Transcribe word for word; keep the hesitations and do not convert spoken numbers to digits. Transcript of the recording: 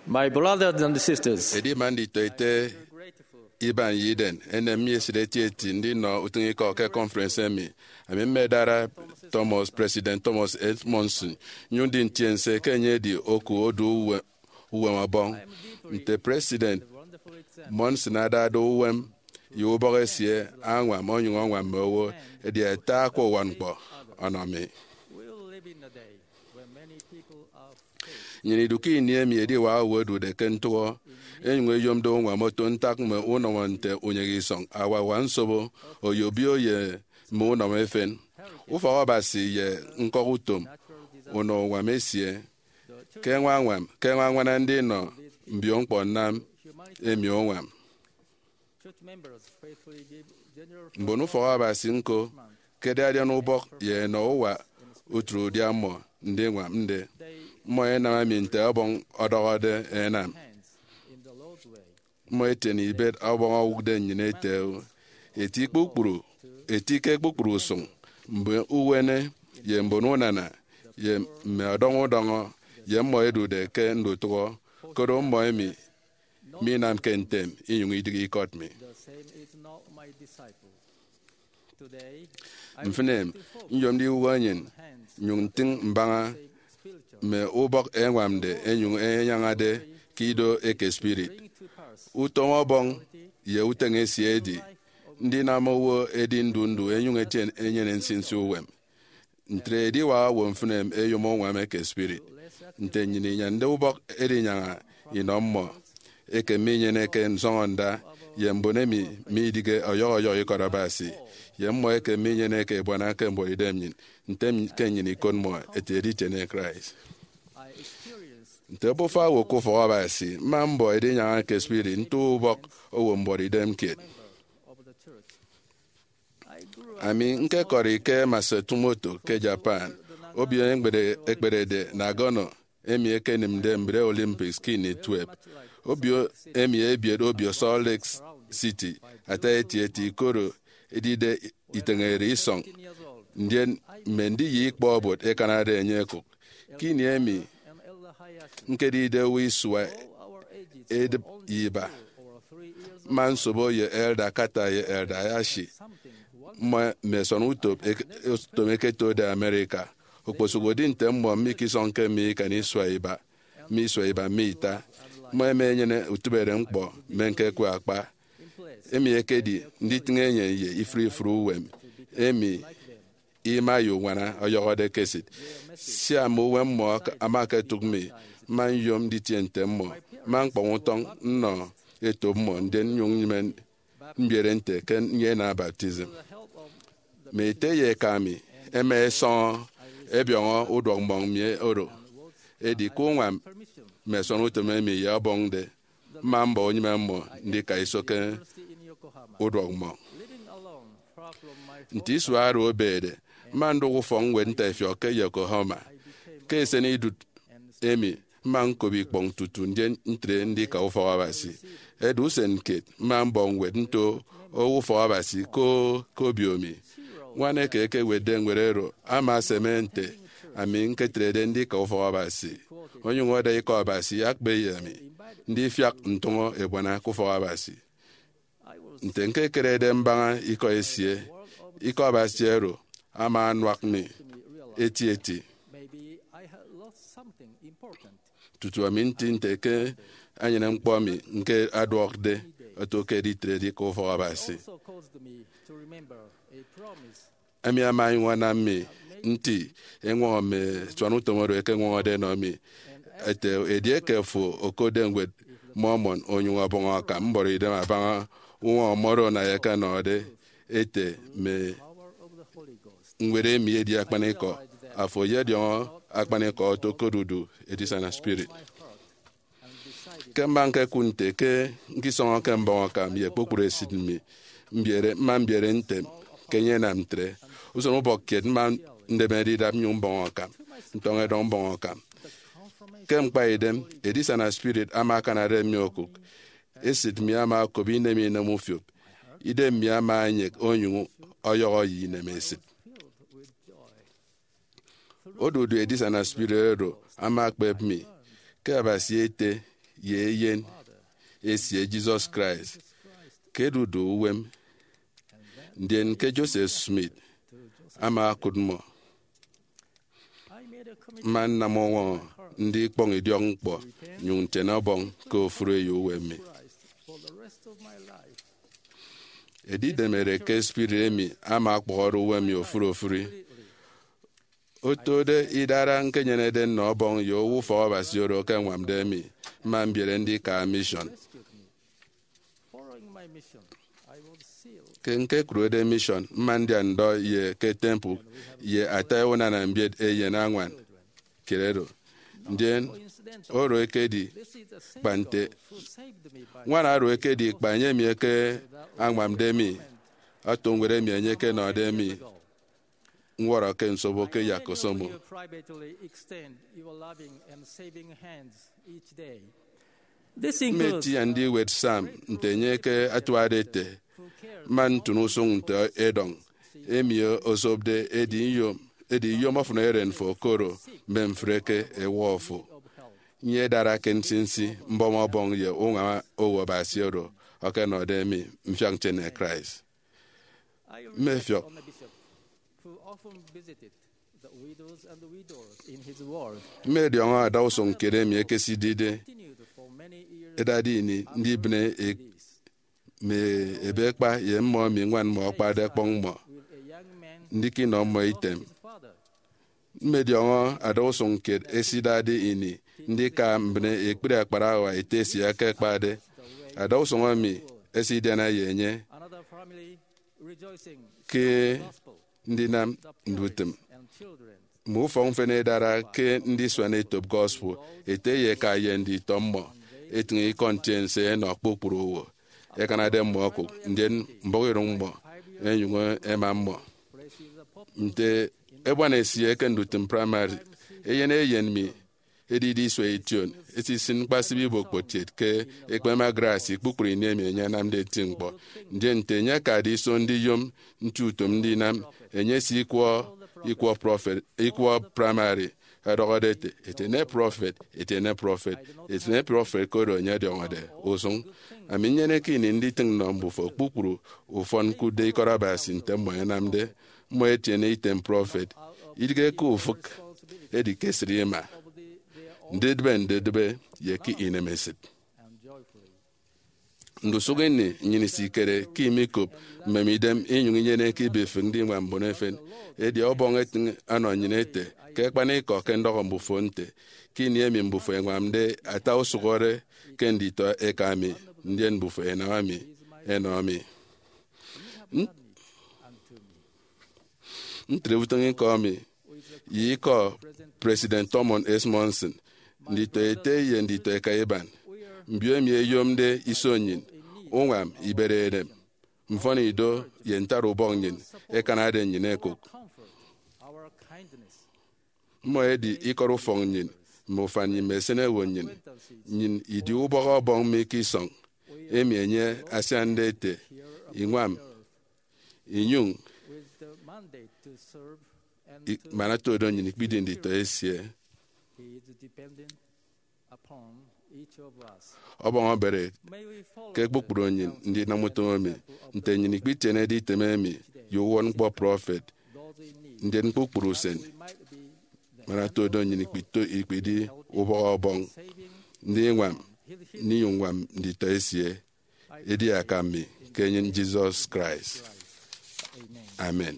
My brothers and sisters, edi man nditọete iban ye iden, enem mi esịt etieti ndinọ utịñikọ ke conference emi. Ami mmedara Thomas, President Thomas S. Monson, nyụñ ndi ntiense ke enye edi oku odu uwe-, uwem Ọbọñ. Nte President Monson adade uwem ye ubọk esie añwam, onyụñ añwam mme owo, edi ata akwa uwakñkpọ ọnọ mi. Nnyịn idu ke ini emi ediwak owo ẹdude ke ntụhọ, enyụñ eyomde uñwam oto ntak mme unọmọ nte unyịghe isọñ, awawa nsobo, oyobio ye mme unọmọ efen. Ufọk Abasi ye ñkọk utom unọ uñwam esie ke ẹñwañwam, ke ẹñwañwana ndinọ mbio ñkpọ nnam emi uñwam. Mbon ufọk Abasi ñko ke ẹdi adian ubọk ye ẹnọ uwa utịt udia mmọ ndiñwam nde. Mmọ ẹnam emi nte Ọbọñ ọdọhọde ẹnam. Mmọ ẹtiene ibet Ọbọñ owụkde nnyịn ete, eti kpukpru, eti ke kpukpru usụñ, mbon uwene ye mbon unana, ye mme ọdọñ udọñọ, ye mmọ ẹdude ke ndutụhọ, koro mmọ emi minamke ntem inyụñ idịghe ikọt mi. Mfịn em, nyomde iwụhọ nnyịn, nyụñ ntịñ mbaña mme ubọk ẹñwamde ẹnyụñ ẹnyañade ke ido eke spirit. Utom Ọbọñ ye uteñe esie edi ndinam owo edi ndu ndu ẹnyụñ ẹtie enyene nsinsi uwem. Ntre ediwak owo mfịn em ẹyom uñwam eke spirit. Nte nnyịn inyande ubọk edinyaña inọ mmọ eke minyeneke nsọñọnda ye mbon emi midịghe ọyọhọ ọyọhọ ikọt Abasi, ye mmọ eke minyeneke ebuana ke mbuọtidem nnyịn, nte ke nnyịn ikot mmọ ete editiene Christ. Nte obufa owo ke ufọk Abasi, mma mbọ edinyaña ke spirit nto ubọk owo mbuọtidem kiet. Ami ñkekọri ke Matsumoto ke Japan, obio ekpede-, ekpedede Nagano, emi ekenịmde mbre Olympics ke ini tuep. Obio emi ebiet obio Salt Lake City ata etieti, koro edide iteñere isọñ, ndien mme ndiye ikpọ obot ẹkanade enye ẹkụk. Ke ini emi ñkedide owo isua edịp ye iba, mma nsobo ye Elder Carter ye Elder Hayashi, mmọ mme ẹsọn utom eke-, utom ẹketode America. Okposụkedi nte mmọ mikisọñke mi ikan isua iba, mi isua iba mi ita, mmọ ẹma ẹnyene utịbeñkpọ mme ñkekwe akpa, emi ekedi nditịñ enyịn ye ifụre ifụre uwem emi ima ye uñwana ọyọhọde ke esịt. Sia mme uwem mmọ ak-, ama aketụk mi, mma nyom nditie nte mmọ, mma ñkpọñ utọñ nnọ etop mmọ, ndien nnyụñ nyịme mbiere nte ke nnyene baptism. Mme ete ye eka mi ẹma ẹsọñọ ẹbiọñọ uduọk mmọñ mi oro. Edi ke uñwam mme ẹsọn utom emi ye Ọbọñ nde, mma mbọ unyịme mmọ ndika iso ke uduọk mmọñ. Nte isua oro ebede, mma ndụk ufọkñwed ntaifiọk ke Yokohama. Ke eseni idụt emi, mma ñkop ikpọñ tutu ndien ntre ndika ufọk Abasi. Edi usen kiet, mma mbọ ñwed nto owo ufọk Abasi ko ke obio mi. Ñwan eke ekewetde ñwed oro ama aseme nte ami ñketrede ndika ufọk Abasi, onyụñ ọda Ikọ Abasi akpa ye ami ndifiak ntụñọ ebuana ke ufọk Abasi. Nte ñkekerede mbaña ikọ esie, Ikọ Abasi oro ama anuak mi etieti tutu ami nti nte ke enyene ñkpọ mi ñke aduọkde oto ke editrede ke ufọk Abasi. Emi ama enyụñ anam mi nti eñwọñọ mme ẹsuan utom oro ẹkeñwọñọde ẹnọ mi, ete, edieke fo okotde ñwed Mormon onyụñ ọbọñ akam, mbọrọ idem abaña uñwọñọ mmọ oro Naya ẹkenọde, ete, mme ñwed emi edi akpanikọ. Afo eyediọñọ akpanikọ oto ke odudu edisana spirit. Ke mma ñkekụt nte ke ñkisọñọke mbọñ akam ye kpukpru esịt mi, mbiere, mma mbiere ntem ke enye enam ntre. Usen ubọk kiet mma ndemede idap nnyụñ mbọñ akam, ntọñ edọñ mbọñ akam. Ke ñkpaidem, edisana spirit ama akanade mi okụk. Esịt mi ama okop inem inem ufiop. Idem mi ama enyek onyụñ ọyọhọ ye inemesịt. Odudu edisana spirit oro ama ekpep mi ke Abasi ete ye Eyen esie Jesus Christ ke edude uwem, ndien ke Joseph Smith ama okụt mmọ. Mma nnam uñwọñọ ndikpọñ idiọkñkpọ nyụñ ntiene Ọbọñ ke ofụri eyo uwem mi. Edidem ereke spirit emi ama ọkpọhọde uwem mi ofụri ofụri. Otode idara ñkenyenede nnọ Ọbọñ ye owo ufọk Abasi oro ke añwamde mi, mma mbiere ndika mission. Ke ñkekụrede mission, mma ndian ndọ ye ke temple ye ata unana mbiet eyen añwan kiet oro. Ndien oro ekedi kpa nte ñwan oro ekedi kpa enye mi eke añwamde mi, oto ñwed emi enye ekenọde mi ñwọrọ ke nsobo ke yak osomo. Mma eti andiwet Psalm nte enye ke atuade ete, man ntụn usụñ nte edọñ emi osopde edi iyom, edi iyom ofụn eren fo koro mme mfre ke ewọ fo. Nyedara ke nsinsi mbọm Ọbọñ ye uñwam owo Abasi oro ọkenọde mi mfiak ntiene Christ. Mmefiọk. Mmediọñọ adausụñ kiet emi ekesidide edade ini ndibịne e- mme ebekpa ye mmọ emi ñwan mmọ akpade ọkpọñ mmọ, ndika inọ mmọ item. Mmediọñọ adausụñ kiet esidade ini ndika mbịne ekpri akparawa ete esie akakpade. Adausụñ emi esidiana ye enye ke ndinam ndutịm mme ufọk mfịn edara ke ndisuan etop gospel. Ete ye eka ye nditọ mmọ etịñ ikọ ntiense ẹnọ kpukpru owo ẹkanade mmọ okụk, ndien mbọhọ iroñ mmọ ẹnyụñ ẹma mmọ. Nte ebuana esie ke ndutịm praimari, eyen eyen mi edide isua ition, esisin ñkpasịp ibokpotiet ke ekpeme Grace kpukpru ini emi enye anamde eti ñkpọ. Ndien nte enye akade iso ndiyom nti utom ndinam, enye esikwọ ikwọ prọfet, ikwọ praimari, ọdọhọde ete, "Etiene prọfet, etiene prọfet, etiene prọfet," koro enye ọdiọñọde usụñ. Ami nnyeneke ini nditịñ nnọ mbufo kpukpru ufọn ñkụtde ikọt Abasi nte mmọ ẹnamde. Mmọ ẹtiene item prọfet, idịghe ke ufịk, edi ke esịt ima, ndidịbe ndidịbe ye ke inemesịt. Ndusụk ini nnyịn isikere ke imikop mmem idem inyụñ inyeneke ibifịk ndiñwam mbon efen. Edi Ọbọñ etịñ ọnọ nnyịn ete, ke akpanikọ ke ndọhọ mbufo nte, ke ini emi mbufo ẹñwamde ata usụhọre ke nditọ eka mi, ndien mbufo ẹnam mi ẹnọ mi. Ntre utịñikọ mi ye ikọ President Thurman S. Monson, nditọ ete ye nditọ eka iban. Mbio emi ẹyomde iso nnyịn, uñwam, ibere edem, mfọnido, ye ntara ubọk nnyịn ẹkanade nnyịn ẹkụk. Mmọ ẹdi ikọt ufọk nnyịn, mme ufan nnyịn, mme esịnewo nnyịn. Nnyịn idi ubọk Ọbọñ mi ke isọñ, emi enye asiande ete, "Iñwam, inyụñ i-, man oto do nnyịn ikpidi nditọ esie." Ọbọñ obere ke kpukpru nnyịn ndinam utom emi, nte nnyịn ikpitienede item emi ye uwụtñkpọ prọfet, ndien kpukpru usen, man oto do nnyịn ikpito-, ikpidi ubọk Ọbọñ, ndiñwam, ndinyụñ ññwam nditọ esie, edi aka mi ke enyịn Jesus Christ. Amen.